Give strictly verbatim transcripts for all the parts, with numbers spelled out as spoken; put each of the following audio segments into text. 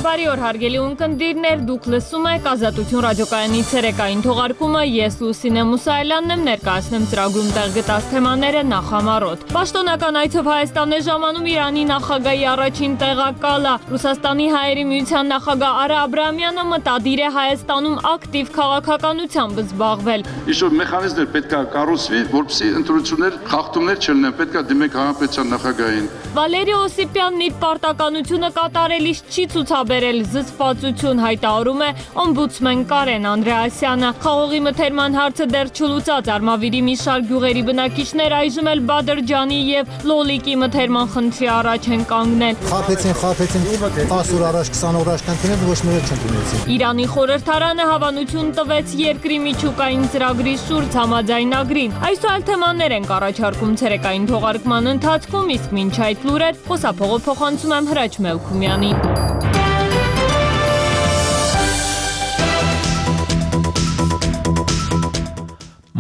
Բարի օր հարգելի ունկնդիրներ, դուք լսում եք Ազատություն ռադիոկայանի ցերեկային թողարկումը, ես Լուսինե Մուսայելյանն եմ, ներկայացնեմ ծրագրում տեղ գտած թեմաները նախամարոտ։ Պաշտոնական այցով Հայաստան է ժամանում Իրանի նախագահի առաջին տեղակալը։ Ռուսաստանի հայերի միության նախագահ Արա Աբրահամյանը մտադիր է Հայաստանում ակտիվ քաղաքականությամբ զբաղվել։ Ինչ-որ մեխանիզմներ պետք է կառուցվի, որպեսզի ընտրություններ, խախտումներ չլինեն, պետք է դիմենք հանրապետության նախագահին։ Վալերի Օսիպյանն իր պարտականությունը կատարելիս չի ցուցաբերել զսպվածություն, հայտարարում է օմբուդսմեն Կարեն Անդրեասյանը։ Խաղողի մթերման հարցը դեռ չլուծած Արմավիրի մի շարք գյուղերի բնակիչներ այժմ էլ Բադրջանի եւ Լոլիկի մթերման խնդրի առաջ են կանգնել։ Խափեցին, խափեցին, տասը օր առաջ, քսան օր առաջ կանցնել, ոչ մի օր չընդունեցին։ Իրանի խորհրդարանը հավանություն տվեց երկրի միջուկային ծրագրի շուրջ համաձայնագրին։ Այսօր թեմաներ ենք առաջարկում ցերեկային թողարկման ընթացքում, իսկ մինչ այդ լուրեր խոսափողը փոխանցում եմ Հրաչ Մելքումյանին։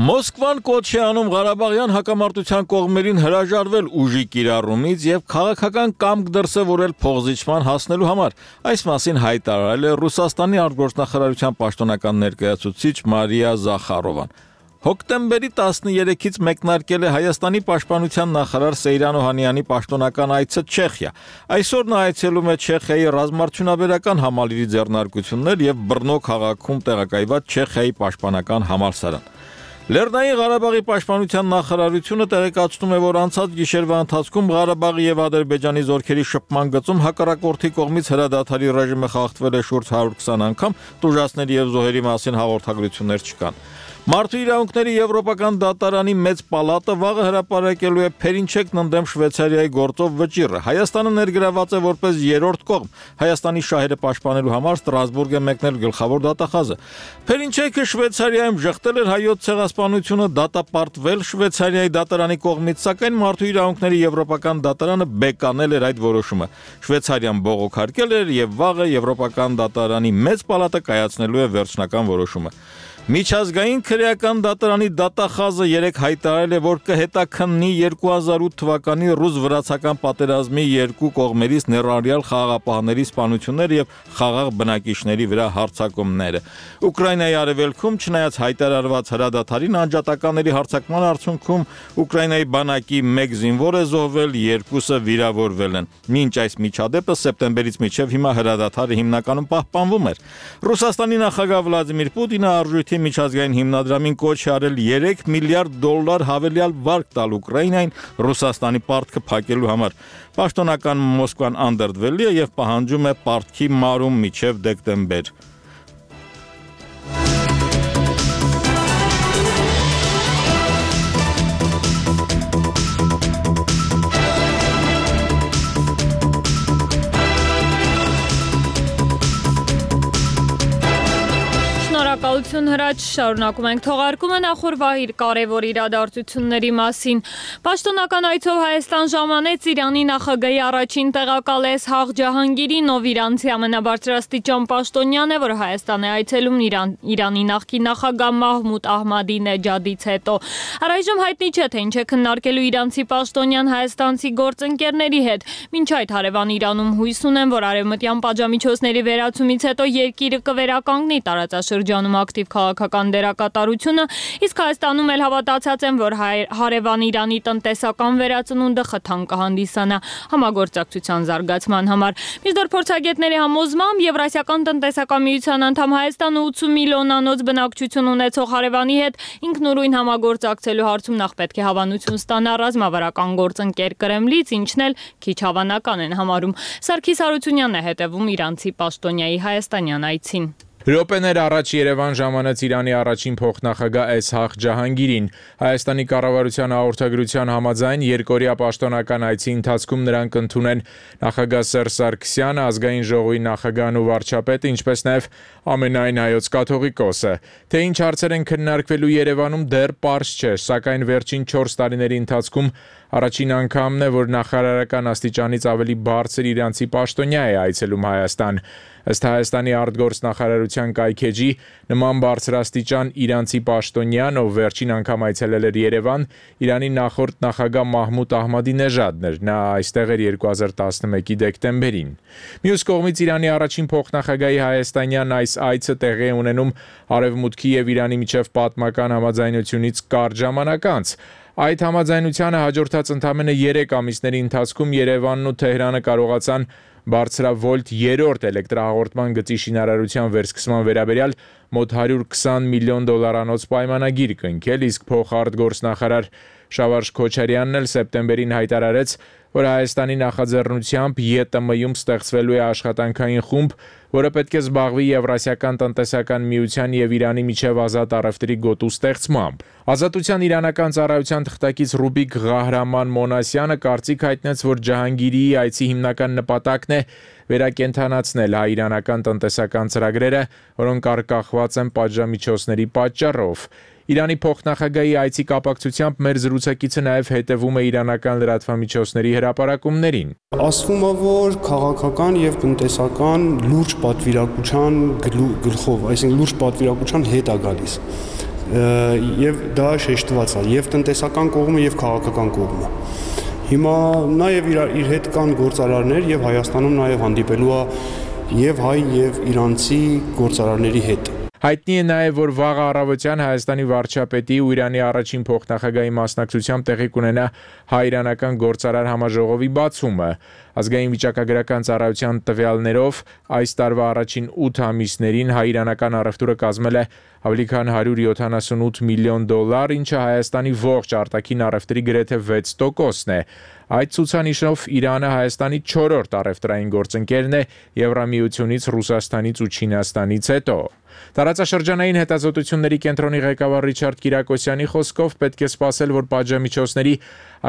Մոսկվան կոչ է անում Ղարաբաղյան հակամարտության կողմերին հրաժարվել ուժի կիրառումից եւ քաղաքական կամք դրսեւորել փոխզիջման հասնելու համար։ Այս մասին հայտարարել է Ռուսաստանի արտգործնախարարության պաշտոնական ներկայացուցիչ Մարիա Զախարովան։ Հոկտեմբերի տասներեքից մեկնարկել է Հայաստանի պաշտպանության նախարար Սեյրան Օհանյանի պաշտոնական այցը Չեխիա։ Այսօր նա այցելում է Չեխիայի ռազմարդյունաբերական համալիրի ձեռնարկություններ եւ Բռնո քաղաքում տեղակայված Չեխիայի պաշտպանական համալսարան։ Լեռնային Ղարաբաղի պաշտպանության նախարարությունը տեղեկացնում է, որ անցած գիշերվա ընթացքում Ղարաբաղի եւ Ադրբեջանի զորքերի շփման գծում հակառակորդի կողմից հրադադարի ռեժիմը խախտվել է շուրջ հարյուր քսան անգամ, տուժածների եւ զոհերի մասին հաղորդագրություններ չկան։ Մարդու իրավունքների եվրոպական դատարանի մեծ պալատը վաղը հրապարակելու է Փերինչեկն ընդդեմ Շվեյցարիայի գործով վճիռը։ Հայաստանը ներգրաված է որպես երրորդ կողմ։ Հայաստանի շահերը պաշտպանելու համար Ստրասբուրգ է մեկնել գլխավոր դատախազը։ Փերինչեկը Շվեյցարիայում ժխտել էր հայոց ցեղասպանությունը, դատապարտվել Շվեյցարիայի դատարանի կողմից, սակայն Մարդու իրավունքների եվրոպական դատարանը բեկանել էր այդ որոշումը։ Շվեյցարիան բողոքարկել էր եւ վաղը եվրոպական դատարանի մեծ պալատը կայացնելու է վերջնական որոշումը։ Միջազգային քրեական դատարանի դատախազը երեկ հայտարարել է, որ կհետաքննի երկու հազար ութ թվականի ռուս-վրացական պատերազմի երկու կողմերից ներառյալ խաղաղապահների սպանությունները եւ խաղաղ բնակիչների վրա հարձակումները։ Ուկրաինայի արևելքում, չնայած հայտարարված հրադադարին, անջատականների հարձակման արդյունքում Ուկրաինայի բանակի մեկ զինվոր է զոհվել, երկուսը վիրավորվել են։ Մինչ այս միջադեպը սեպտեմբերից մինչև հիմա հրադադարը հիմնականում պահպանվում էր։ Ռուսաստանի նախագահ Վլադիմիր Պուտինը արժույթի միջազգային հիմնադրամին կոչ է արել երեք միլիարդ դոլար հավելյալ վարկ տալ Ուկրաինային Ռուսաստանի պարտքը փակելու համար։ Պաշտոնական Մոսկվան անդրդվել է եւ պահանջում է պարտքի մարում մինչեւ դեկտեմբեր։ Շնորհակալություն Հրաչ, շարունակում ենք թողարկումը նախորդ կարևոր իրադարձությունների մասին։ Պաշտոնական այցով Հայաստան ժամանեց Իրանի նախագահի առաջին տեղակալ Էսհաղ Ջահանգիրին, ով իրանցի ամենաբարձրաստիճան պաշտոնյան է, որ Հայաստան է այցելում Իրան, Իրանի նախկին նախագահ Մահմուդ Ահմադինեջադից հետո։ Առայժմ հայտնի չէ, թե ինչ է քննարկելու իրանցի պաշտոնյան հայաստանցի գործընկերների հետ։ Մինչ այդ հարևան Իրանում հույս ունեն, որ արևմտյան պատժամիջոցների վերացումից հետո երկիրը կվերականգնի տարածաշրջանում ակտիվ քաղաքական դերակատարությունը, իսկ Հայաստանում էլ հավատացած են, որ հարևան Իրանի տնտեսական վերածնունդը խթան կհանդիսանա համագործակցության զարգացման համար։ Մինչդեռ փորձագետների համոզմամբ Եվրասիական տնտեսական միության անդամ Հայաստանը ութ միլիոնանոց բնակչություն ունեցող հարևանի հետ ինքնուրույն համագործակցելու հարցում նախ պետք է հավանություն ստանա ռազմավարական գործընկեր Կրեմլից, ինչն էլ քիչ հավանական են համարում։ Սարգիս Հարությունյանն է հետևում իրանցի պաշտոնյայի հայաստանյան այցին։ Րոպեներ առաջ Երևան ժամանեց Իրանի առաջին փոխնախագահ Էսհաղ Ջահանգիրին։ Հայաստանի կառավարության հաղորդագրության համաձայն երկօրյա պաշտոնական այցի ընթացքում նրանք ընդունեն նախագահ Սերժ Սարգսյանը, ազգային ժողովի նախագահն ու վարչապետը, ինչպես նաև ամենայն հայոց կաթողիկոսը։ Թե ինչ հարցեր են քննարկվելու Երևանում դեռ պարզ չէ, սակայն վերջին չորս տարիների ընթացքում առաջին անգամն է, որ նախարարական աստիճանից ավելի բարձր իրանցի պաշտոնյա է այցելում Հայաստան։ Ըստ Հայաստանի արտգործնախարարության կայքեջի, նման բարձրաստիճան իրանցի պաշտոնյան, ով վերջին անգամ այցելել էր Երևան, Իրանի նախորդ նախագահ Մահմուդ Ահմադինեժադն էր, նա այստեղ էր երկու հազար տասնմեկի դեկտեմբերին։ Մյուս կողմից Իրանի առաջին փոխնախագահի հայաստանյան այս այցը տեղի է ունենում Արևմուտքի եւ Իրանի միջև պատմական համաձայնությունից կարճ ժամանակ անց։ Այդ համաձայնությանը հաջորդած ընդամենը երեք ամիսների ընթացքում Երևանն ու Թեհրանը կարողացան բարձրավոլտ երրորդ էլեկտրահաղորդման գծի շինարարության վերսկսման վերաբերյալ մոտ հարյուր քսան միլիոն դոլարանոց պայմանագիր կնքել, իսկ փոխարտգործնախարար Շավարժ Քոչարյանն էլ սեպտեմբերին հայտարարեց, որ Հայաստանի նախաձեռնությամբ ԵՏՄ-ում ստեղծվելու է աշխատանքային խումբ, որը պետք է զբաղվի Եվրասիական տնտեսական միության եւ Իրանի միջև ազատ առևտրի գոտու ստեղծմամբ։ Ազատության իրանական ծառայության թղթակից Ռուբիկ Ղահրաման Մոնասյանը կարծիք հայտնեց, որ Ջահանգիրիի այցի հիմնական նպատակն է վերակենդանացնել հայ-իրանական տնտեսական ծրագրերը, որոնք արկախված են պատժամիջոցների պատճառով։ Իրանի փոխնախագահի այցի կապակցությամբ մեր զրուցակիցը նաև հետևում է իրանական լրատվամիջոցների հրապարակումներին։ Ասվում է, որ քաղաքական եւ տնտեսական լուրջ պատվիրակության գլխով, այսինքն լուրջ պատվիրակության հետ է գալիս։ Եվ դա շեշտված է եւ տնտեսական կողմը եւ քաղաքական կողմը։ Հիմա նաեւ իր, իր հետ կան գործարարներ եւ Հայաստանում նաեւ հանդիպելու է եւ հայ եւ իրանցի գործարարների հետ։ Հայտնի է նաև, որ վաղ առավոտյան Հայաստանի վարչապետի ու Իրանի առաջին փոխնախագահի մասնակցությամբ տեղի կունենա հայ-իրանական գործարար համաժողովի բացումը։ Ազգային վիճակագրական ծառայության տվյալներով այս տարվա առաջին ութ ամիսներին հայ-իրանական առևտուրը կազմել է ավելի քան հարյուր յոթանասունութ միլիոն դոլար, ինչը Հայաստանի ողջ արտաքին առևտրի գրեթե վեց տոկոսն է։ Այդ ցուցանիշով Իրանը Հայաստանի չորրորդ առևտրային գործընկերն է Եվրամիությունից, Ռուսաստանից ու Չինաստանից հետո։ Տարածաշրջանային հետազոտությունների կենտրոնի ղեկավար Ռիչարդ Կիրակոսյանի խոսքով պետք է սպասել, որ պատժամիջոցների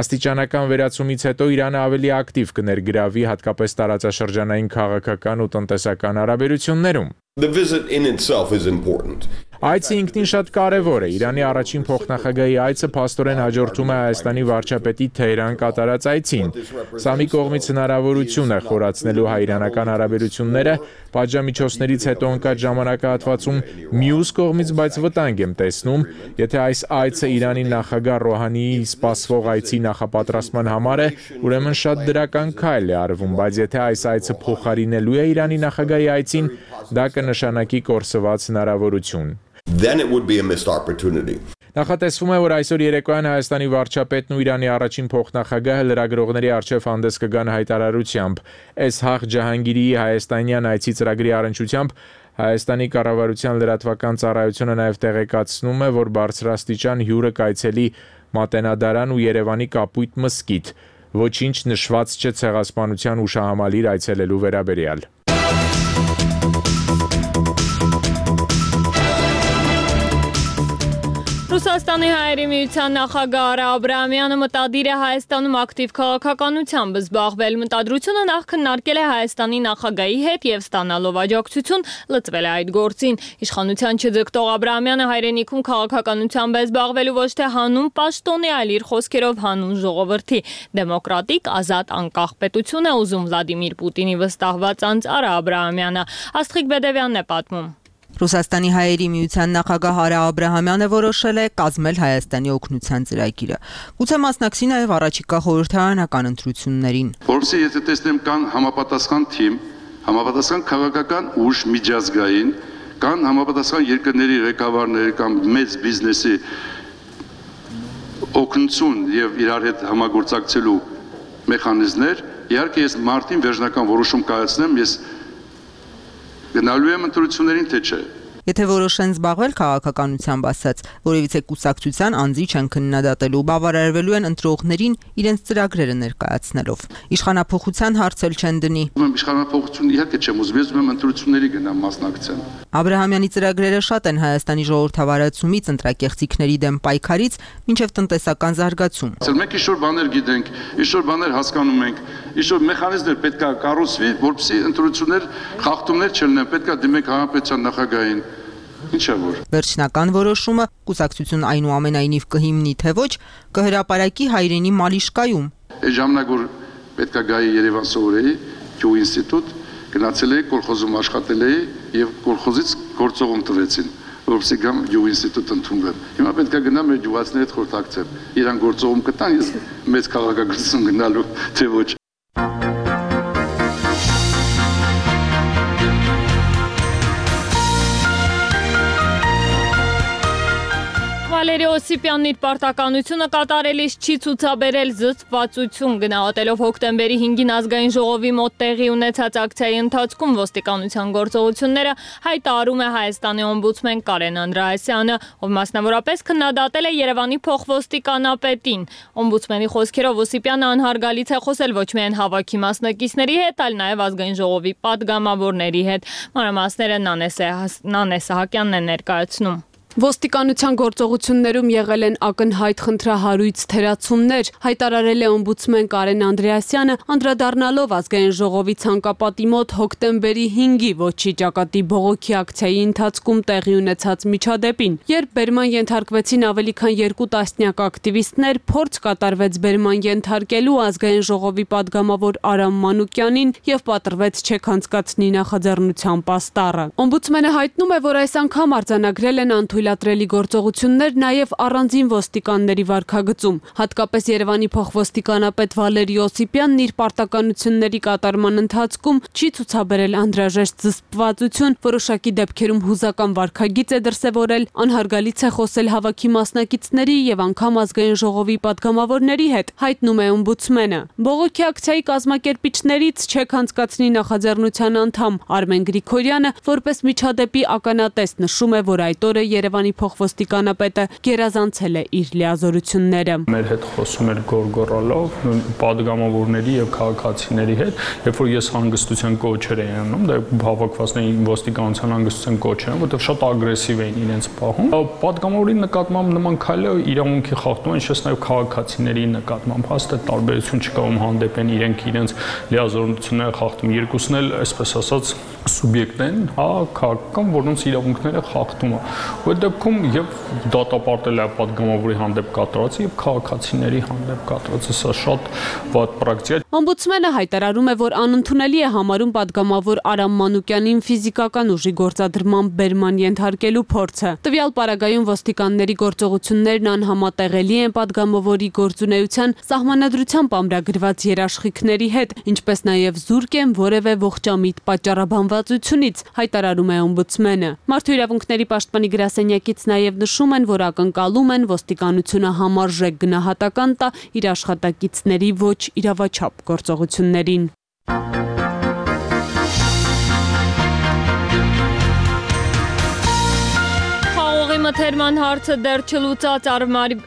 աստիճանական վերացումից հետո Իրանը ավելի ակտիվ կներգրավի հատկապես տարածաշրջանային քաղաքական ու տնտեսական հարաբերություններում։ The visit in itself is important. Այցը ինքնին շատ կարևոր է։ Իրանի առաջին փոխնախագահի այցը փաստորեն հաջորդում է Հայաստանի վարչապետի Թեհրան կատարած այցին։ Սա մի կողմից հնարավորություն է խորացնելու հայ-իրանական հարաբերությունները, պատժամիջոցներից հետո ընկած ժամանակահատվածում, մյուս կողմից բայց վտանգ եմ տեսնում, եթե այս այցը Իրանի նախագահ Ռոհանիի սպասվող այցի նախապատրաստման համար է, ուրեմն շատ դրական քայլ է արվում, բայց եթե այս այցը փոխարինելու է Իրանի նախագահի այցին, դա կնշանակի կորսված հնարավորություն։ Then it would be a missed opportunity. Նախատեսվում է, որ այսօր երեկոյան Հայաստանի վարչապետն ու Իրանի առաջին փոխնախագահը լրագրողների առջև հանդես կգան հայտարարությամբ։ Էսհաղ Ջահանգիրիի հայաստանյան այցի ծրագրի առնչությամբ Հայաստանի կառավարության լրատվական ծառայությունը նաև տեղեկացնում է, որ բարձրաստիճան հյուրը կայցելի Մատենադարան ու Երևանի Կապույտ մզկիթ։ Ոչինչ նշված չէ ցեղասպանության ուշահամալիր այցելելու վերաբերյալ։ Ռուսաստանի հայերի միության նախագահ Արա Աբրահամյանը մտադիր է Հայաստանում ակտիվ քաղաքականությամբ զբաղվել։ Մտադրությունը նախ քննարկել է Հայաստանի նախագահի հետ եւ ստանալով աջակցություն լծվել է այդ գործին։ Իշխանության չձգտող Աբրահամյանը հայրենիքում քաղաքականությամբ է զբաղվելու ոչ թե հանուն պաշտոնի, այլ իր խոսքերով հանուն ժողովրդի։ Դեմոկրատիկ, ազատ, անկախ պետություն է ուզում Վլադիմիր Պուտինի վստահված անձ Արա Աբրահամյանը։ Աստղիկ Բեդևյանն է պատմում։ Ռուսաստանի հայերի միության նախագահ Արա Աբրահամյանը որոշել է կազմել Հայաստանի օգնության ծրագիրը։ Գուցե մասնակցի նաև առաջիկա խորհրդարանական ընտրություններին։ Որովհետեւ եթե տեսնեմ կան համապատասխան թիմ, համապատասխան քաղաքական ուժ միջազգային, կան համապատասխան երկրների ղեկավարներ կամ մեծ բիզնեսի օգնություն եւ իրար հետ համագործակցելու մեխանիզմներ, իհարկե ես մարտին վերջնական որոշում կայացնեմ, ես գնալու եմ ընտրություններին թե չէ։ Եթե որոշեն զբաղվել քաղաքականությամբ ասած, որևիցե կուսակցության անձի չեն քննադատելու, բավարարվելու են ընտրողներին իրենց ծրագրերը ներկայացնելով։ Իշխանափոխության հարց էլ չեն դնի։ Ում իշխանափոխություն իհարկե չեմ ուզում, ես ուզում եմ ընտրությունների գնամ մասնակցեմ։ Աբրահամյանի ծրագրերը շատ են Հայաստանի ժողովրդավարացումից, ընտրակեղծիքների դեմ պայքարից մինչև տնտեսական զարգացում։ Մենք ինչ-որ բաներ գիտենք, ինչ-որ բաներ հասկանում ենք, ինչ-որ մեխանիզմներ պետք է կառուցվի, որպեսզի ընտրություններ խախտումներ չլինեն, պետք է դիմենք հանրապետության նախագահին։ Ինչա որ։ Վերջնական որոշումը կուսակցություն այնուամենայնիվ կհիմնի թե ոչ, կհրապարակի հայրենի Մալիշկայում։ Այդ ժամանակ որ պետք է գայի Երևան սովորեի, Գյուղ ինստիտուտ, Գնացել էի կոլխոզում աշխատել էի եւ կոլխոզից գործողում տվեցին, որովհետեւ գամ յուղ ինստիտուտ ընդունվեմ։ Հիմա պետք է գնամ մեր յուղացիների հետ խորհրդակցեմ։ Իրան գործողում կտան, ես մեծ քաղաքագործություն գնալու թե ոչ։ Վալերի Օսիպյանն իր պարտականությունը կատարելիս չի ցուցաբերել զսպվածություն գնահատելով հոկտեմբերի հինգին ազգային ժողովի մոտ տեղի ունեցած ակցիայի ընթացքում ոստիկանության գործողությունները հայտարարում է Հայաստանի օմբուդսմեն Կարեն Անդրեասյանը, ով մասնավորապես քննադատել է Երևանի փոխոստիկանապետին։ Օմբուդսմենի խոսքերով Օսիպյանը անհարգալից է խոսել ոչ միայն հավաքի մասնակիցների հետ, այլ նաև ազգային ժողովի падգամավորների հետ։ Մանրամասները Նանե Սահակյանն է ներկայացնում։ Ոստիկանության գործողություններում եղել են ակնհայտ խնդրահարույց թերացումներ, հայտարարել է օմբուդսմեն Կարեն Անդրեասյանը, անդրադառնալով ազգային ժողովի ցանկապատի մոտ հոկտեմբերի հինգի ոչի ճակատի բողոքի ակցիայի ընթացքում տեղի ունեցած միջադեպին։ Երբ բերման ենթարկվեցին ավելի քան երկու տասնյակ ակտիվիստներ, փորձ կատարվեց բերման ենթարկելու ազգային ժողովի падգամավոր Արամ Մանուկյանին եւ պատրվեց չեք անցկացնի նախաձեռնության պաստառը։ Օմբուդսմենը հայտնում է, որ այս անգամ արձանագրել են անթույլատրելի գործողություններ նաև առանձին ոստիկանների վարքագծում։ Հատկապես Երևանի փոխոստիկանապետ Վալերի Օսիպյանն իր պարտականությունների կատարման ընթացքում չի ցուցաբերել անհրաժեշտ զսպվածություն, որոշակի դեպքերում հուզական վարքագիծ է դրսևորել, անհարգալից է խոսել հավաքի մասնակիցների եւ անգամ ազգային ժողովի падգամավորների հետ, հայտնում է օմբուդսմենը։ Բողոքի ակցիայի կազմակերպիչներից չեք անցկացնի նախաձեռնության անդամ Արմեն Գրիգորյանը որպես միջադեպի ականատես նշում է, որ այդ օրը Երևանի փոխոստիկանապետը գերազանցել է իր լիազորությունները։ Մեր հետ խոսում էր գորգորալով падգամավորների եւ քաղաքացիների հետ, երբ որ ես հանգստության կոչեր էի անում, դա հավաքվածների ոստիկանության հանգստության կոչեր, որովհետեւ շատ ագրեսիվ էին իրենց պահում։ Падգամավորի նկատմամբ նման քայլը իրավունքի խախտում է, ինչպես նաեւ քաղաքացիների նկատմամբ հաստատ տարբերություն չկա, ում հանդեպ են իրենք իրենց լիազորությունները խախտում։ Երկուսն էլ, այսպես ասած, սուբյեկտ են, հա, քաղաքական, որոնց իրավունքները խախտում է։ Այդ դեպքում եւ դատապարտել է падգամավորի հանդեպ կատարածը եւ քաղաքացիների հանդեպ կատարածը, սա շատ վատ պրակտիկա է։ Օմբուդսմենը հայտարարում է, որ անընդունելի է համարում падգամավոր Արամ Մանուկյանին ֆիզիկական ուժի գործադրման բերման ենթարկելու փորձը։ Տվյալ պարագայում ոստիկանների գործողություններն անհամատեղելի են падգամավորի գործունեության սահմանադրությամբ ամրագրված երաշխիքների հետ, ինչպես նաեւ զուրկ են որևէ ողջամիտ պատճառաբանվածությունից, հայտարարում է օմբուդսմենը։ Մարդու իրավունքների պաշտպանի գրասենյակից նաև նշում են, որ ակնկալում են ոստիկանությունը համարժեք գնահատական տա իր աշխատակիցների ոչ իրավաչափ գործողություններին։ Մթերման հարցը դեռ չլուծած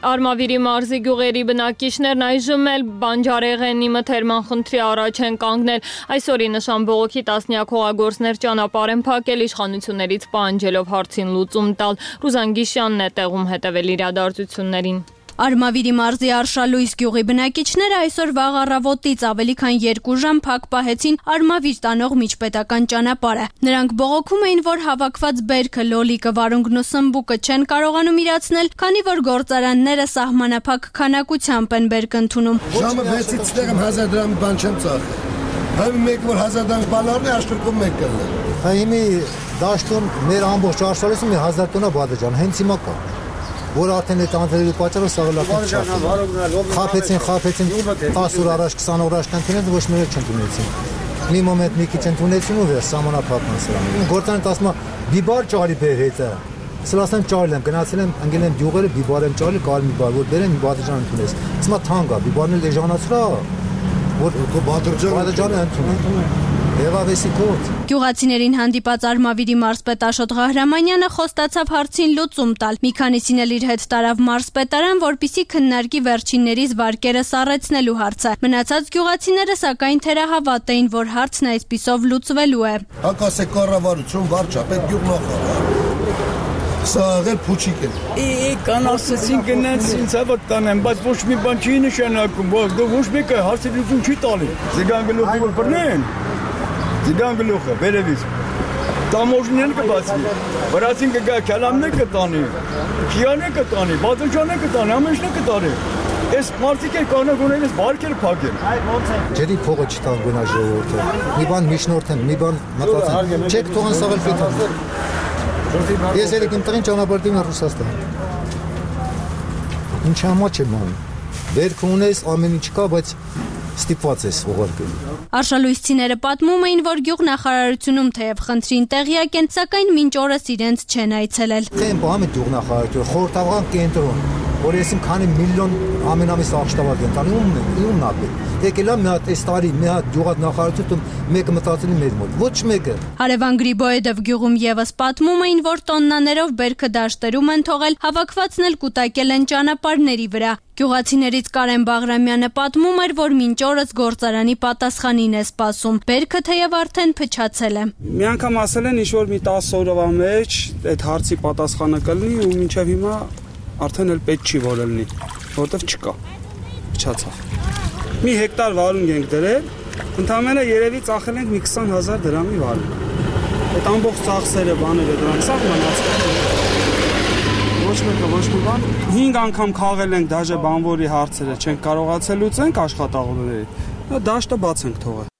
Արմավիրի մարզի գյուղերի բնակիչներն այժմ էլ բանջարեղենի մթերման խնդրի առաջ են կանգնել։ Այսօրի նշան բողոքի տասնյակ հողագործներ ճանապարհ են փակել իշխանություններից պահանջելով հարցին լուծում տալ։ Ռուզան Գիշյանն է տեղում հետևել իրադարձություններին։ Արմավիրի մարզի Արշալույս գյուղի բնակիչները այսօր վաղ առավոտից ավելի քան երկու ժամ փակ պահեցին Արմավիր տանող միջպետական ճանապարհը։ Նրանք բողոքում էին, որ հավաքված բերքը, լոլիկը, վարունգն ու սմբուկը չեն կարողանում իրացնել, քանի որ գործարանները սահմանափակ քանակությամբ են բերք ընդունում։ Ժամը վեցից տեղում հազար դրամ բան չեմ ծախել։ Հայ մեկ որ հազար դրամ բալարն է աշտուրքում մեկ կլը։ Հայ հիմի դաշտում մեր ամբողջ Արշալույսում մի հազար տոննա բادرجان հենց հիմա կա։ Որ արդեն այդ անձրևի պատճառով սաղլական չափ։ Խափեցին, խափեցին տասը օր առաջ, քսան օր առաջ կընդունեն, ոչ մի չեն ընդունեցին։ Մի մոմենտ մի քիչ ընդունեցին ու վեր սահմանափակման սրան։ Գործանը ասում է բիբար ճարի բեր հետը։ Սլասեմ ճարել եմ, գնացել եմ, ընկել եմ գյուղերը, բիբար եմ ճարել, կարել մի բար, որ բերեն մի բادرجان ընդունես։ Ասում է թանկ է, բիբարն էլ էժանացրա, որ բادرجանը ընդունեն։ Գյուղացիներին հանդիպած Արմավիրի մարզպետ Աշոտ Ղահրամանյանը խոստացավ հարցին լուծում տալ։ Մի քանիսին էլ իր հետ տարավ մարզպետարան, որպիսի քննարկի վերջիններիս վարկերը սառեցնելու հարցը։ Մնացած գյուղացիները սակայն թերահավատ էին, որ հարցն այսպիսով լուծվելու է։ Հակասե կառավարություն, վարչապետ, գյուղնախարար։ Սա աղել փուչիկ է։ Է, կան ասեցին գնաց ինձ հավատ տանեմ, բայց ոչ մի բան չի նշանակում, ոչ մեկը հարցի լուծում չի տալի։ Զգան գլուխը որ բռնեն։ Զգան գլուխը, վերևից, տամոժնեն կբացվի, վրացին կգա, կյալամն է կտանի, կիան է կտանի, բادرجان է կտանի, ամենշն է կտանի, Այս մարդիկ էլ կանա գոնել այս բարքերը փակեն։ Ջերի փողը չտան գնա ժողովուրդը։ Մի բան միջնորդեն, մի բան մտածեն։ Չեք թողան սաղել պետք։ Ես ելեք իմ տղին ճանապարհին Ռուսաստան։ Ինչ համար չեմ անում։ Բերք ունես, ամեն ինչ կա, բայց ստիպված ես ուղարկելու։ Արշալույսցիները պատմում էին, որ գյուղնախարարությունում թեև խնդրին տեղյակ են, սակայն մինչ օրս իրենց չեն այցելել։ Խեն բամը գյուղնախարարություն, խորհրդական կենտրոն, որ ես իմ քանի միլիոն ամենամիս աղշտավար են տանի ումն է, ումն ապե։ Եկելա մի հատ այս տարի, մի հատ գյուղնախարարություն մեկը մտածելի մեր մոտ, ոչ մեկը։ Հարևան Գրիբոյեդով գյուղում եւս պատմում էին, որ տոննաներով բերքը դաշտերում են թողել, հավաքվածն էլ կուտակել են ճանապարհների վրա։ Գյուղացիներից Կարեն Բաղրամյանը պատմում էր, որ մինչ օրս գործարանի պատասխանին է սպասում։ Բերքը թեև արդեն փչացել է։ Մի անգամ ասել են ինչ-որ մի տասը օրվա մեջ այդ հարցի պատասխանը կլինի ու մինչև հիմա արդեն էլ պետք չի որ լինի, որովհետև չկա։ Փչացավ։ Մի հեկտար վարունգ ենք դրել, ընդամենը երևի ծախել ենք մի քսան հազար դրամի վարունգ։ Այդ ամբողջ ծախսերը բաները դրանք սաղ մնացել։ Ոչ մեկը ոչ մի բան։ հինգ անգամ խաղել ենք դաժե բանվորի հարցերը, չենք կարողացել լուծենք աշխատողների։ Դաշտը բաց ենք թողել։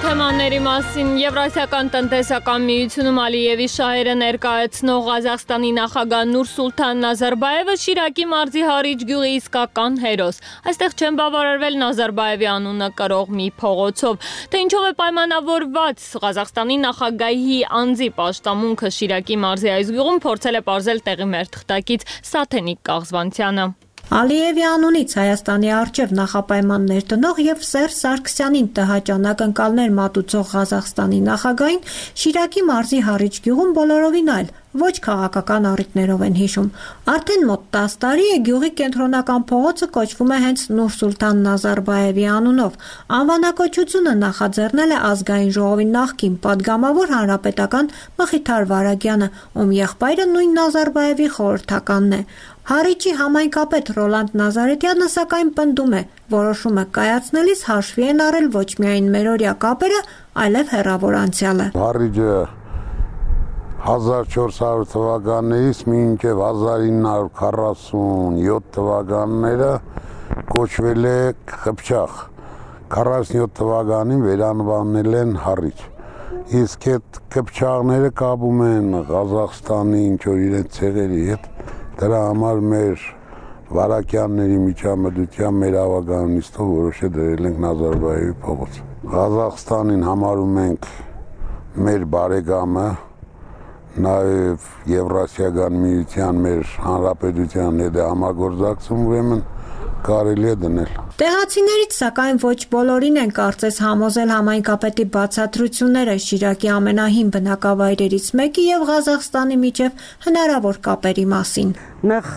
Թեմաների մասին Եվրասիական տնտեսական միությունում Ալիևի շահերը ներկայացնող Ղազախստանի նախագահ Նուրսուլթան Նազարբաևը Շիրակի մարզի Հարիջ գյուղի իսկական հերոս։ Այստեղ չեն բավարարվել Նազարբաևի անունը կրող մի փողոցով, թե ինչով է պայմանավորված Ղազախստանի նախագահի անձի պաշտամունքը Շիրակի մարզի այս գյուղում, փորձել է պարզել տեղի մեր թղթակից Սաթենիկ Կաղզվանցյանը։ Ալիևի անունից Հայաստանի առջև նախապայմաններ տնող եւ Սերժ Սարգսյանին տհաճ ակնկալներ մատուցող Ղազախստանի նախագահին Շիրակի մարզի Հարիջ գյուղում բոլորովին այլ, ոչ քաղաքական առիթներով են հիշում։ Արդեն մոտ տասը տարի է գյուղի կենտրոնական փողոցը կոչվում է հենց Նուրսուլթան Նազարբաևի անունով։ Անվանակոչությունը նախաձեռնել է ազգային ժողովի նախկին падգամավոր հանրապետական Մխիթար Վարագյանը, ում եղբայրը նույն Նազարբաևի խորհրդականն է։ Հարիջի համայնքապետ Ռոլանդ Նազարետյանը սակայն պնդում է, որոշումը կայացնելիս հաշվի են առել ոչ միայն մերօրյա կապերը, այլև հեռավոր անցյալը։ Հարիջը հազար չորս հարյուր թվականից մինչև հազար ինը հարյուր քառասունյոթ թվականները կոչվել է Խփչախ։ քառասունյոթ թվականին վերանվանել են Հարիջ։ Իսկ այդ Խփչաղները կապում են Ղազախստանի ինչ որ իրենց ցեղերի հետ։ Դրա համար մեր վարակյանների միջամտությամբ մեր ավականիստով որոշել դրել ենք Նազարբաևի փողոց։ Ղազախստանին համարում ենք մեր բարեկամը, նաև Եվրասիական միության մեր հանրապետության հետ համագործակցում, ուրեմն կարելի է դնել։ Տեղացիներից սակայն ոչ բոլորին են կարծես համոզել համայնքապետի բացատրությունները Շիրակի ամենահին բնակավայրերից մեկի եւ Ղազախստանի միջև հնարավոր կապերի մասին։ Նախ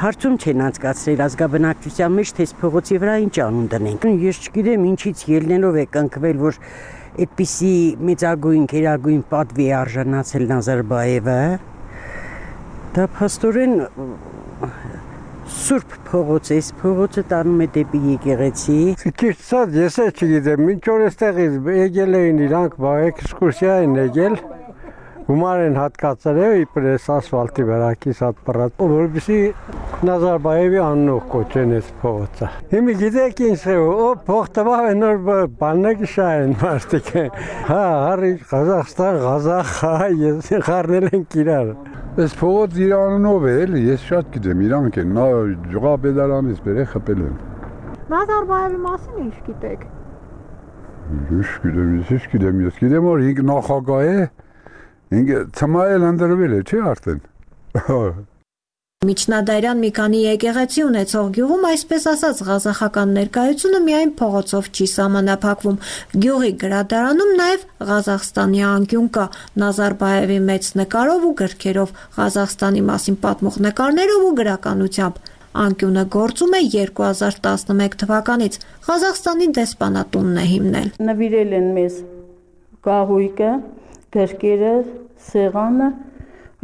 հարցում չեն անցկացրել ազգաբնակչության մեջ, թե փողոցի վրա ինչ անուն դնենք։ Ես չգիտեմ ինչից ելնելով է կնքվել, որ այդպիսի մեծագույն քերագույն պատվի արժանացել Նազարբաևը։ Դա փաստորեն Սուրբ փողոց է, փողոցը տանում է դեպի եկեղեցի։ Ճիշտ ասած, ես էլ չգիտեմ, մինչ որ այստեղից եկել էին իրանք, էքսկուրսիա են եկել, գումար են հատկացրել իբր էս ասֆալտի վրա կիսատ պռած, որպեսզի Նազարբաևի անունով կոչեն այս փողոցը։ Հիմա գիտեք ինչ է, օ փող տվավ են նոր բաններ շահեն մարդիկ։ Հա, Հարիջ, Ղազախստան, Ղազախ, հա, ես խառնել ենք իրար։ Այս փողոց իր անունով է, էլի, ես շատ գիտեմ, իրանք են, նա ջղապետարանից բերե խփել են։ Նազարբաևի մասին ինչ գիտեք։ Ինչ գիտեմ, ես ինչ գիտեմ, ես գիտեմ, որ ինք նախագահ է, ինքը ծմայել ընդրվել է, չէ՞ արդեն։ Միջնադարյան մի քանի եկեղեցի ունեցող գյուղում այսպես ասած ղազախական ներկայությունը միայն փողոցով չի սահմանափակվում։ Գյուղի գրադարանում նաև Ղազախստանի անկյուն կա Նազարբաևի մեծ նկարով ու գրքերով, Ղազախստանի մասին պատմող նկարներով ու գրականությամբ։ Անկյունը գործում է երկու հազար տասնմեկ թվականից։ Ղազախստանի դեսպանատունն է հիմնել։ Նվիրել են մեզ գահույկը, գրքերը, սեղանը,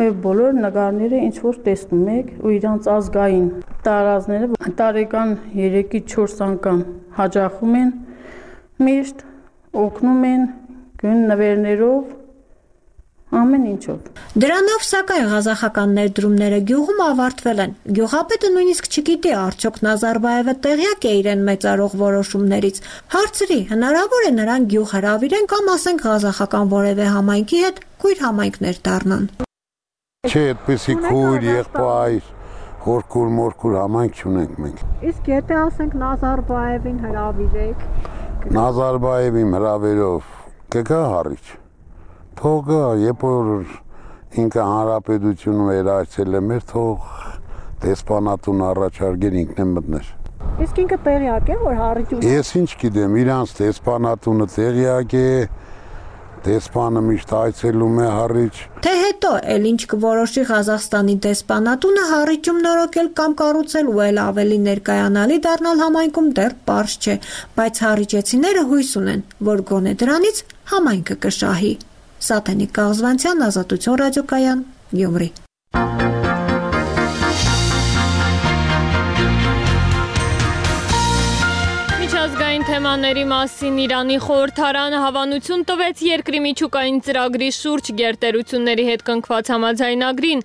բոլոր նկարները ինչ որ տեսնում եք ու իրանց ազգային տարազները տարեկան երեքից չորս անգամ հաջախում են, միշտ օգնում են գույն նվերներով ամեն ինչով։ Դրանով սակայն ղազախական ներդրումները գյուղում ավարտվել են։ Գյուղապետը նույնիսկ չգիտի արդյոք Նազարբաևը տեղյակ է իրեն մեծարող որոշումներից։ Հարցրի, հնարավոր է նրան գյուղ հրավիրեն կամ ասենք ղազախական որևէ համայնքի հետ քույր համայնքներ դառնան։ Չէ, այդպեսի քույր, եղբայր, խորքուր մորքուր համայնք չունենք մենք։ Իսկ եթե ասենք Նազարբաևին հրավիրեք։ Նազարբաևին հրավերով կգա հարիչ։ Թող երբ որ ինքը հանրապետությունը վերահսկել է մեր թող դեսպանատուն առաջարկել ինքն է մտներ։ Իսկ ինքը տեղյակ է որ հարիճում։ Ես ինչ գիտեմ, իրանց դեսպանատունը տեղյակ է, դեսպանը միշտ այցելում է հարիճ։ Թե հետո էլ ինչ կորոշի Ղազախստանի դեսպանատունը հարիճում նորոգել կամ կառուցել ու էլ ավելի ներկայանալի դառնալ համայնքում դեռ պարզ չէ, բայց հարիճեցիները հույս ունեն, որ գոնե դրանից համայնքը կշահի։ Սաթենիկ Կաղզվանցյան, Ազատություն ռադիոկայան, Գյումրի։ Միջազգային թեմաների մասին Իրանի խորհրդարանը հավանություն տվեց երկրի միջուկային ծրագրի շուրջ գերտերությունների հետ կնքված համաձայնագրին։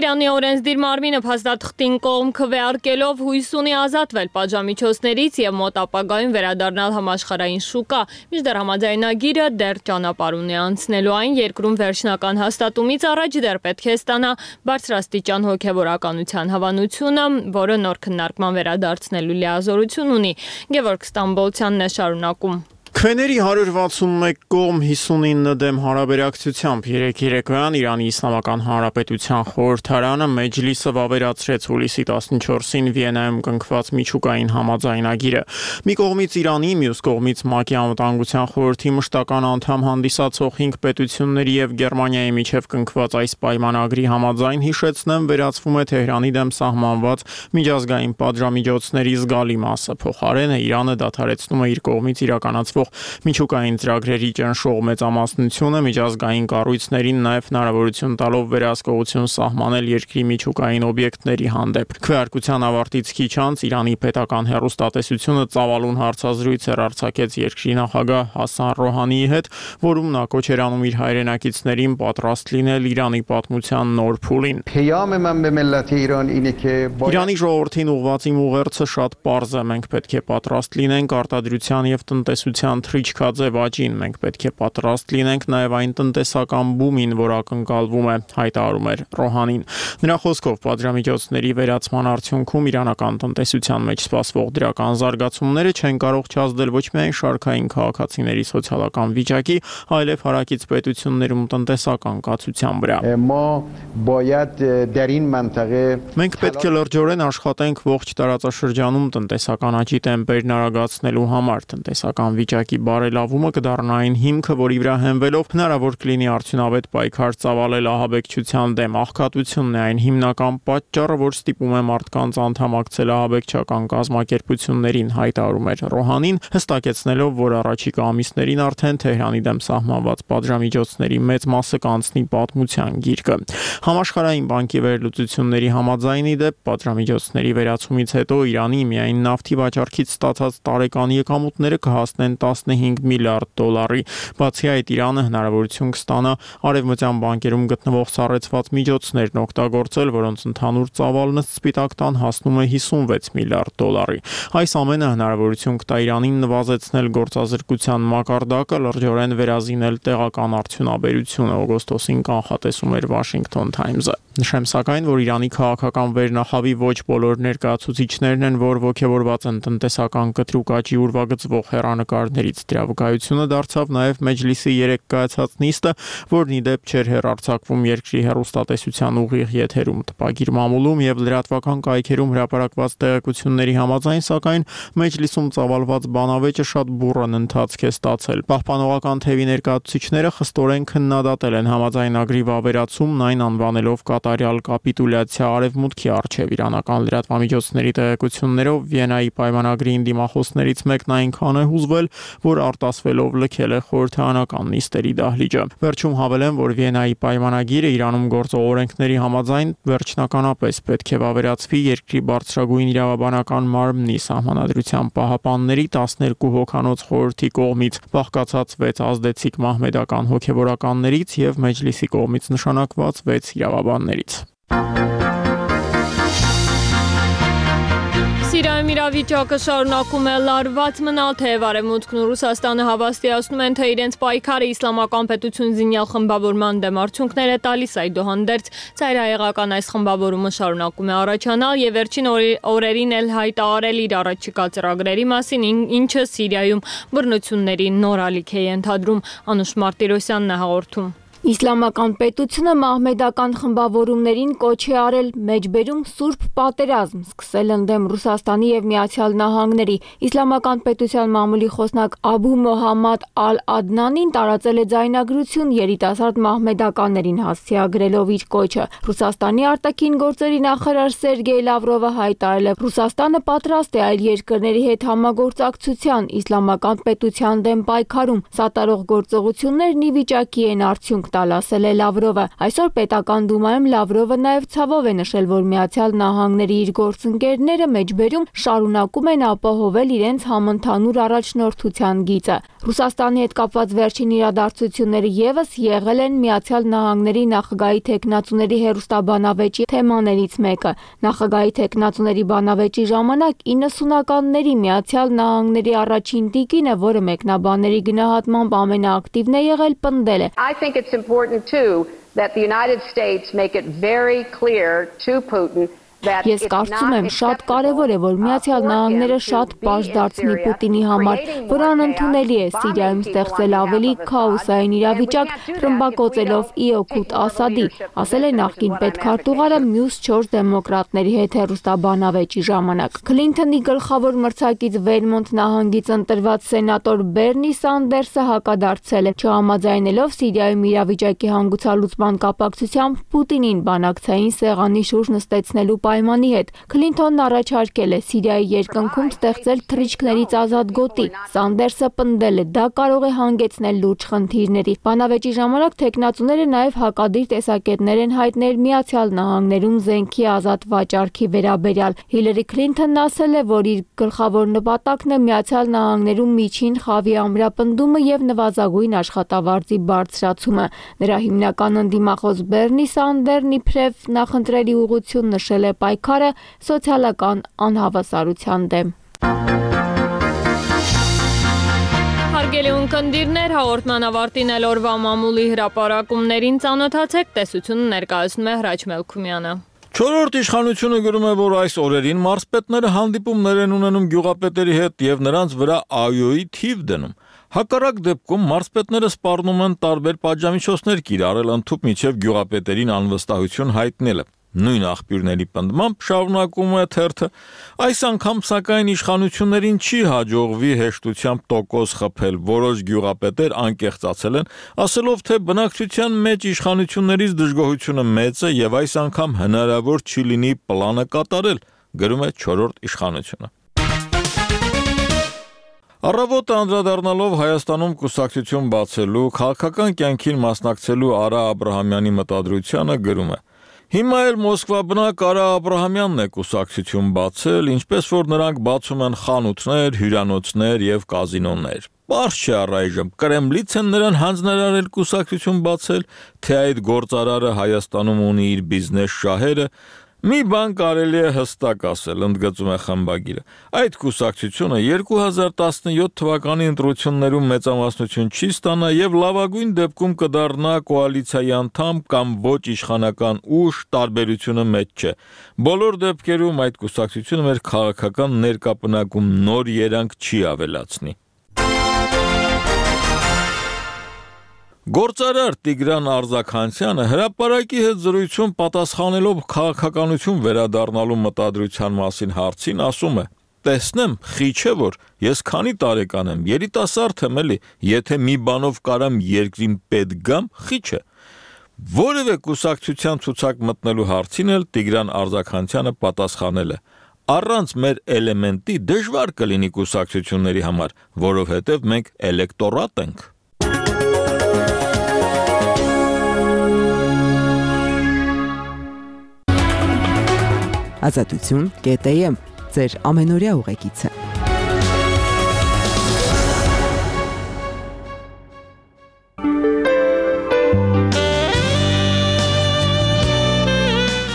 Իրանի օրենսդիր մարմինը փաստաթղթին կողմ քվեարկելով հույս ունի ազատվել պատժամիջոցներից եւ մոտ ապագայում վերադառնալ համաշխարհային շուկա, մինչդեռ համաձայնագիրը դեռ ճանապարհ ունի անցնելու այն երկրում վերջնական հաստատումից առաջ դեռ պետք է ստանա բարձրաստիճան հոգեվորականության հավանությունը, որը նոր քննարկման վերադարձնելու լիազորություն ունի։ Գևորգ Ստամբոլցյանն է շարունակում։ Քվեների հարյուր վաթսունմեկ կողմ հիսունինը դեմ հարաբերակցությամբ երեկ երեկոյան Իրանի Իսլամական Հանրապետության խորհրդարանը մեջլիսը վավերացրեց հուլիսի տասնչորսին Վիեննայում կնքված միջուկային համաձայնագիրը։ Մի կողմից Իրանի, մյուս կողմից ՄԱԿ-ի անվտանգության խորհրդի մշտական անդամ հանդիսացող հինգ պետությունների եւ Գերմանիայի միջև կնքված այս պայմանագրի համաձայն հիշեցնեմ վերացվում է Թեհրանի դեմ սահմանված միջազգային պատժամիջոցների զգալի մասը։ Փոխարենը Իրանը դադարեցնում է իր կողմից իրականացվող միջուկային ծրագրերի ճնշող մեծամասնությունը միջազգային կառույցներին նաև հնարավորություն տալով վերահսկողություն սահմանել երկրի միջուկային օբյեկտների հանդեպ։ Քվեարկության ավարտից քիչ անց Իրանի պետական հեռուստատեսությունը ծավալուն հարցազրույց էր արձակեց երկրի նախագահ Հասան Ռոհանիի հետ, որում նա կոչ էր անում իր հայրենակիցներին պատրաստ լինել Իրանի պատմության նոր փուլին։ Իրանի ժողովրդին ուղղված իմ ուղերձը շատ պարզ է, մենք պետք է պատրաստ լինենք արտադրության եւ տնտեսության թռիչքաձև աճին, մենք պետք է պատրաստ լինենք նաև այն տնտեսական բումին, որ ակնկալվում է, հայտարարում էր Ռոհանին։ Նրա խոսքով պատժամիջոցների վերացման արդյունքում իրանական տնտեսության մեջ սպասվող դրական զարգացումները չեն կարող չազդել ոչ միայն շարքային քաղաքացիների սոցիալական վիճակի, այլև հարակից պետություններում տնտեսական կացության վրա։ Մենք պետք է լրջորեն աշխատենք ողջ տարածաշրջանում տնտեսական աճի տեմպերն արագացնելու համար, տնտեսական վիճակի բարելավումը կդառնա այն հիմքը, որի վրա հենվելով հնարավոր կլինի արդյունավետ պայքար ծավալել ահաբեկչության դեմ։ Աղքատությունն է այն հիմնական պատճառը, որ ստիպում է մարդկանց անդամակցել ահաբեկչական կազմակերպություններին, հայտարարում էր Ռոհանին, հստակեցնելով, որ առաջիկա ամիսներին արդեն Թեհրանի դեմ սահմանված պատժամիջոցների մեծ մասը կանցնի պատմության գիրկը։ Համաշխարհային բանկի վերլուծությունների համաձայնի դեպ պատժամիջոցների վերացումից հետո Իրանի միայն նավթի վաճառքից ստացած տարեկան եկամուտները կհասնեն տասնհինգ միլիարդ դոլարի։ Բացի այդ, Իրանը հնարավորություն կստանա արևմտյան բանկերում գտնվող սառեցված միջոցներն օգտագործել, որոնց ընդհանուր ծավալն սպիտակ տան հասնում է հիսունվեց միլիարդ դոլարի։ Այս ամենը հնարավորություն կտա Իրանին նվազեցնել գործազրկության մակարդակը, լրջորեն վերազինել տեղական արդյունաբերությունը, օգոստոսին կանխատեսում էր Washington Times-ը։ Նշեմ սակայն, որ Իրանի քաղաքական վերնախավի ոչ բոլոր ներկայացուցիչներն են, որ ողջավորված են տնտեսական կտրուկ աճի ուրվագծվող հեռանկարներից։ Դրա վկայությունը դարձավ նաև Մեջլիսի երեկ կայացած նիստը, որն ի դեպ չէր հեռարձակվում երկրի հեռուստատեսության ուղիղ եթերում։ Տպագիր մամուլում եւ լրատվական կայքերում հրապարակված տեղեկությունների համաձայն, սակայն Մեջլիսում ծավալված բանավեճը շատ բուռն ընթացք է ստացել։ Պահպանողական թևի ներկայացուցիչները խստորեն քննադատել են համաձայնագրի վավերացումն, այն անվանելով կատարյալ կապիտուլյացիա արևմուտքի առջև իրանական լրատվամիջոցների տեղեկություններով Վիեննայի պայմանագրի դիմախոսներից մեկն այնքան է հուզվել, որ արտասվելով լքել է խորհրդարանական նիստերի դահլիճը։ Վերջում հավելեմ, որ Վիեննայի պայմանագիրը Իրանում գործող օրենքների համաձայն վերջնականապես պետք է վավերացվի երկրի բարձրագույն իրավաբանական մարմնի սահմանադրության պահապանների տասներկու հոգանոց խորհրդի կողմից, բաղկացած վեց ազդեցիկ մահմեդական հոգևորականներից և Մեջլիսի կողմից նշանակված վեց իրավաբաններից։ Սիրիայում իրավիճակը շարունակում է լարված մնալ, թեև Արևմուտքն ու Ռուսաստանը հավաստիացնում են, թե իրենց պայքարը իսլամական պետություն զինյալ խմբավորման դեմ արդյունքներ է տալիս, այդուհանդերձ ծայրահեղական այս խմբավորումը շարունակում է առաջանալ եւ վերջին օրերին էլ հայտարարել իր առաջիկա ծրագրերի մասին, ինչը Սիրիայում բռնությունների նոր ալիք է ենթադրում։ Անուշ Մարտիրոսյանն է հաղորդում։ Իսլամական պետությունը մահմեդական խմբավորումներին կոչ է արել մեջբերում սուրբ պատերազմ, սկսել ընդդեմ Ռուսաստանի եւ Միացյալ Նահանգների։ Իսլամական պետության մամուլի խոսնակ Աբու Մոհամմադ Ալ-Ադնանին տարածել է ձայնագրություն երիտասարդ մահմեդականներին հասցեագրելով իր կոչը։ Ռուսաստանի արտաքին գործերի նախարար Սերգեյ Լավրովը հայտարարել է, Ռուսաստանը պատրաստ է այլ երկրների հետ համագործակցության իսլամական պետության դեմ պայքարում։ Սատարող գործողություններն ի վիճակի են արդյունք տալ, ասել է Լավրովը։ Այսօր պետական դումայում Լավրովը նաև ցավով է նշել, որ Միացյալ Նահանգների իր գործընկերները մեջբերում շարունակում են ապահովել իրենց համընդհանուր առաջնորդության գիծը։ Ռուսաստանի հետ կապված վերջին իրադարձությունները ևս եղել են Միացյալ Նահանգների նախագահի թեկնածուների հերոստաբանավեճի թեմաներից մեկը։ Նախագահի թեկնածուների բանավեճի ժամանակ իննսունականների Միացյալ Նահանգների առաջին տիկինը, որը մեկնաբանների գնահատմամբ ամենաակտիվն է եղել, պնդել է. I think it's important too that the United States make it very clear to Putin. Ես կարծում եմ շատ կարևոր է, որ Միացյալ Նահանգները շատ պարզ դարձնի Պուտինի համար, որ անընդունելի է Սիրիայում ստեղծել ավելի քաոսային իրավիճակ, ռմբակոծելով ի օգուտ Ասադի, ասել է նախկին պետքարտուղարը մյուս չորս դեմոկրատների հետ հեռուստաբանավեճի ժամանակ։ Քլինթոնի գլխավոր մրցակից Վերմոնտ նահանգից ընտրված սենատոր Բերնի Սանդերսը հակադարձել է, չհամաձայնելով Սիրիայում իրավիճակի հանգուցալուծման կապակցությամբ Պուտինին բանակցային սեղանի շուրջ նստեցնելու պայմանի հետ։ Քլինթոնն առաջարկել է Սիրիայի երկնքում ստեղծել թռիչքներից ազատ գոտի։ Սանդերսը պնդել է, դա կարող է հանգեցնել լուրջ խնդիրների։ Բանավեճի ժամանակ թեկնածուները նաև հակադիր տեսակետներ են հայտնել Միացյալ Նահանգներում զենքի ազատ վաճառքի վերաբերյալ։ Հիլարի Քլինթոնն ասել է, որ իր գլխավոր նպատակն է Միացյալ Նահանգներում միջին խավի ամրապնդումը եւ նվազագույն աշխատավարձի բարձրացումը։ Նրա հիմնական ընդդիմախոս Բերնի Սանդերն իբրև նախընտրելի ուղղություն նշել է պայքարը սոցիալական անհավասարության դեմ։ Հարգելի ունկնդիրներ, հաղորդման ավարտին էլ օրվա մամուլի հրապարակումներին ծանոթացեք, տեսությունը ներկայացնում է Հրաչ Մելքումյանը։ Չորրորդ իշխանությունը գրում է, որ այս օրերին մարզպետները հանդիպումներ են ունենում գյուղապետերի հետ եւ նրանց վրա այոյի թիվ դնում։ Հակառակ դեպքում մարզպետները սպառնում են տարբեր պատժամիջոցներ կիրառել ընդհուպ միջև գյուղապետերին անվստահություն հայտնելը։ Նույն աղբյուրների պնդմամբ շարունակում է թերթը, այս անգամ սակայն իշխանություններին չի հաջողվի հեշտությամբ տոկոս խփել, որոշ գյուղապետեր անկեղծացել են, ասելով, թե բնակչության մեջ իշխանություններից դժգոհությունը մեծ է եւ այս անգամ հնարավոր չի լինի պլանը կատարել, գրում է չորրորդ իշխանությունը։ Առավոտը անդրադառնալով Հայաստանում կուսակցություն բացելու, քաղաքական կյանքին մասնակցելու Արա Աբրահամյանի մտադրությանը գրում է. Հիմա էլ Մոսկվա բնակ Արա Աբրահամյանն է կուսակցություն բացել, ինչպես որ նրանք բացում են խանութներ, հյուրանոցներ եւ կազինոներ։ Պարզ չէ առայժմ Կրեմլից են նրան հանձնարարել կուսակցություն բացել, թե այդ գործարարը Հայաստանում ունի իր բիզնես շահերը։ Մի բան կարելի է հստակ ասել, ընդգծում է խմբագիրը։ Այդ կուսակցությունը երկու հազար տասնյոթ թվականի ընտրություններում մեծամասնություն չի ստանա եւ լավագույն դեպքում կդառնա կոալիցիայի անդամ կամ ոչ իշխանական ուժ, տարբերությունը մեծ չէ։ Բոլոր դեպքերում այդ կուսակցությունը մեր քաղաքական ներկապնակում նոր երանգ չի ավելացնի։ Գործարար Տիգրան Արձաքանցյանը հրապարակի հետ զրույցում պատասխանելով քաղաքականություն վերադառնալու մտադրության մասին հարցին ասում է. տեսնեմ, խի չէ որ ես քանի տարեկան եմ, երիտասարդ եմ էլի, եթե մի բանով կարամ երկրին պետք գամ, խի չէ։ Որևէ կուսակցության ցուցակ մտնելու հարցին էլ Տիգրան Արձաքանցյանը պատասխանել է. Առանց մեր էլեմենտի դժվար կլինի կուսակցությունների համար, որովհետև մենք էլեկտորատ ենք։ Ազատություն կետ եմ ձեր ամենօրյա ուղեկիցը։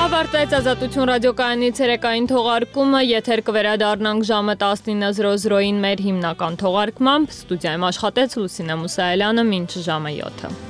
Ավարտվեց Ազատություն ռադիոկայանի ցերեկային թողարկումը, եթեր կվերադառնանք ժամը տասնինը զրո զրոին մեր հիմնական թողարկմամբ։ Ստուդիայում աշխատեց Լուսինե Մուսայելյանը, մինչ ժամը յոթը։